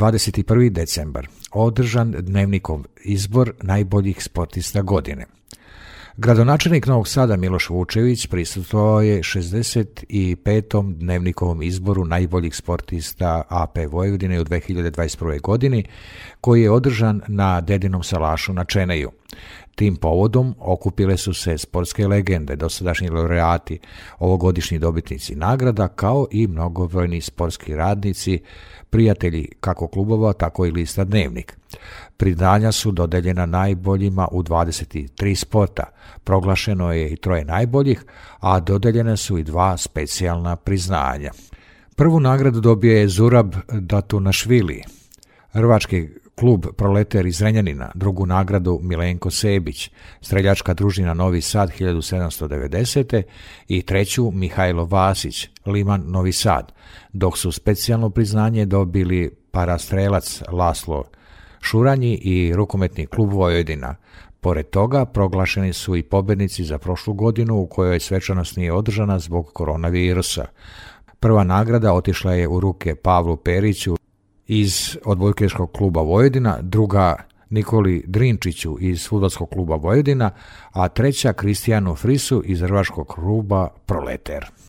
21. decembar održan Dnevnikov izbor najboljih sportista godine. Gradonačelnik Novog Sada Miloš Vučević prisustvovao je 65. Dnevnikovom izboru najboljih sportista AP Vojvodine u 2021. godini, koji je održan na Dedinom salašu na Čeneju. Tim povodom okupile su se sportske legende, dosadašnji laureati, ovogodišnji dobitnici nagrada, kao i mnogobrojni sportski radnici, prijatelji kako klubova, tako i lista Dnevnik. Priznanja su dodeljena najboljima u 23 sporta, proglašeno je i 3 najboljih, a dodeljene su i 2 specijalna priznanja. Prvu nagradu dobio je Zurab Datunašvili, Hrvački klub Proleter iz Zrenjanina, drugu nagradu Milenko Sebić, streljačka družina Novi Sad 1790. i treću Mihajlo Vasić, Liman Novi Sad, dok su specijalno priznanje dobili parastrelac Laslo Šuranji i rukometni klub Vojvodina. Pored toga, proglašeni su i pobednici za prošlu godinu u kojoj svečanost nije održana zbog koronavirusa. Prva nagrada otišla je u ruke Pavlu Periću iz odbojkaškog kluba Vojvodina, druga Nikoli Drinčiću iz fudbalskog kluba Vojvodina, a treća Kristijanu Frisu iz hrvačkog kluba Proleter.